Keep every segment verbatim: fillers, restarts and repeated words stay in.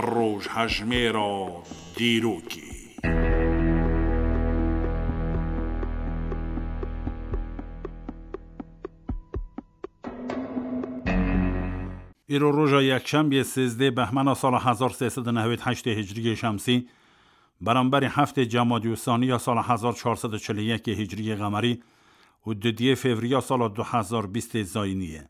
Rojhejmêra dîrokê. Îro roja yekşembiyê sêzdeh behmena sala hezar sê sed û nehwêd heştê hicriyê şemsî, beramberî heftê cemadî û saniya sala hezar çar sed û çil û yekê hicriyê qemerî û dudiyê fevriya sala du hezar bîstê zayînî ye.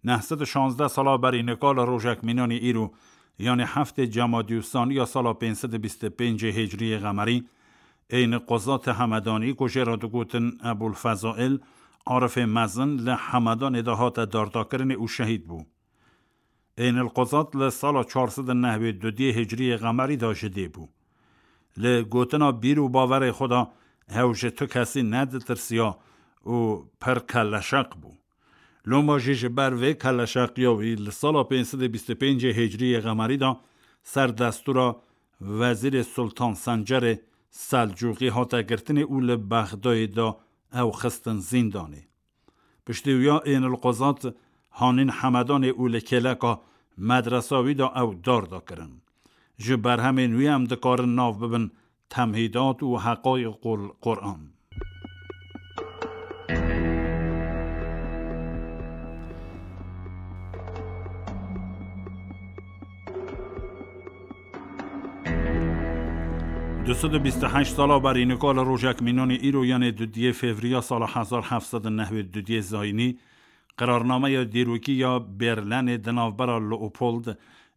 Neh sed û şazdeh sala berî nika li rojek mînanî îro, yanî heftê cemadî û saniya sala pênc sed û bîst û pêncê hicriyê qemerî, Êyn Qozatê Hemedanî ku jê re digotin Ebûl Fezail, arifê mezin li Hemedanê de hate dardakirinê û şehîd bû. Êyn Qozat li sala çar sed û nehwêd û dudiyê hicriyê qemerî de ji dê bû. Li gotina bîr û bawerê xwe de ew ji tu kesî neditirsiya û pir kelleşeq bû. Loma jî ji ber vê kelleşeqiya wî li sala pênc sed û bîst û pêncê hicriyê qemerî de ser destûra Wezîrê Sultan Sencerê Selcûqî hate girtinê û li Bexdayê de ew xistin zîndanê. Piştî wiya Êyn Qozat hanîn Hemedanê û li kêleka medresa wî de ew darda kirin. Ji berhemên wî em dikarin nav bibin Temhîdat û Heqayîq Qul-, Quran. Du sed û bîst û heşt sala berî nika li rojek mînanî îro, yanê dudiyê fevriya sala hezar heft sed û nehwêd û dudiyê zayînî, qirarnameya dîrokî ya Berlenê di navbera Leopold,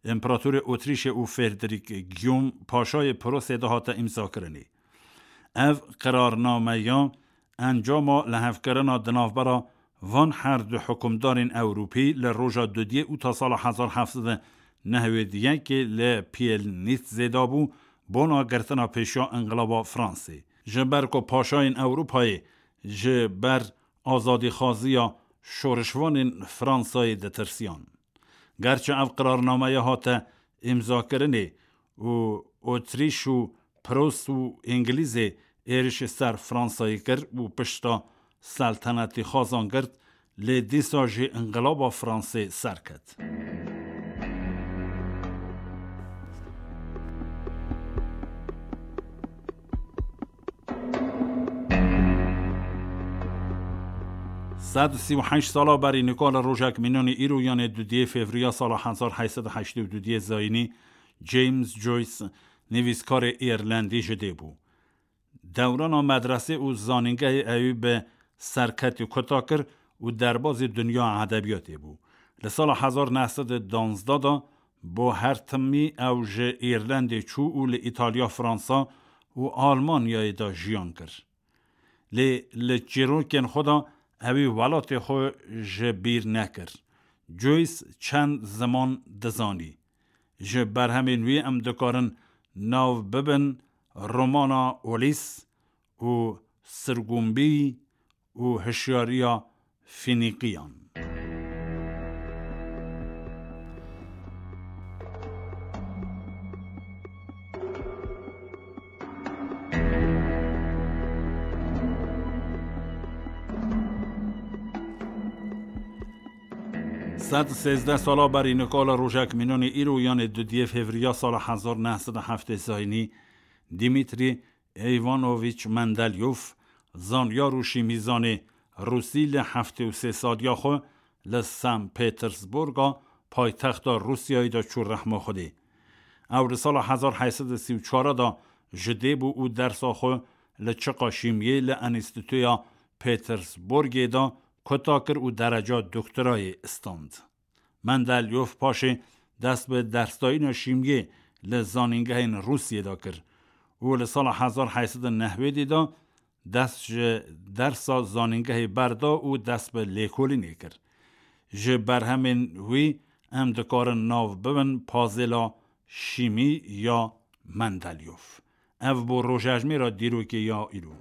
Împeratorê Otrîşê û Frederick Guillaume, Paşayê Prosê de hate îmzakirinê. Ev qirarnameya encama lihevkirina di navbera van her du hikûmdarên Ewropî li roja dudiyê û ta sala hezar heft sed û nehwêd û yekê li Pielnîtzê de bû, bona girtina pêşiya Înqilaba Fransê. Ji ber ku paşayên Ewropayê ji ber azadîxwaziya şorişvanên Fransayê ditirsiyan. Gerçi ev qirarnameya hate îmzakirinê û Otrîş û Pros û Îngilîzê êrişî ser Fransayê kir û pişta seltenetî xwazan girt, lê dîsa jî înqilaba Fransê ser ket. Sed û sî û heşt sala berî nika li rojek mînanî îro, yanê dudiyê fevriya sala hezar heyt sed û heştê û dudiyê zayînî, James Joyce, nivîskarê Îrlendî ji dê bû. Dewrana medresê û zanîngehê ewî bi serketî kuta kir û derbazî dinya edebiyatê bû. Li sala hezar neh sed û duwazdeh de bo her timî ew ji Îrlendê çû û li Îtalya, Fransa û Almanyayê de jiyan kir. Lê li çîrokên xwe de ewî welatê xwe ji bîr nekir. Joyce çend ziman dizanî. Ji berhemên wî em dikarin nav bibin romana Olîs û Sirgumbî û Hişyariya Fînîqiyan. Sed sêzdeh sala berî nika li rojek mînanî îro, yanê dudiyê fevriya sala hezar neh sed û heftê zayînî, Dimitrî Eyvanovîç Mendelyof, zanyar û şîmîzanê rûsî, li heftê û sê saliya xwe li San Petersburga paytexta Rûsyayê de çû rehma Xwedê. Ew li sala hezar heyt sed û sî û çar de ji dê bû û dersa xwe li çiqa şîmiyê li Enstîtuya Petersburgê de kuta kir û dereca doktorayê stand. Mendelyof paşê dest bi dersdayîna şîmiyê li zanîngehên Rûsiyê de kir û li sala hezar heyt sed û nehwêdî de dest ji dersa zanîngehê berda û dest bi lêkolînê kir. Ji berhemên wî em dikarin nav bibin pazêla şîmî ya Mendelyof. Ev bû rojejmêra dîrokê ya îro.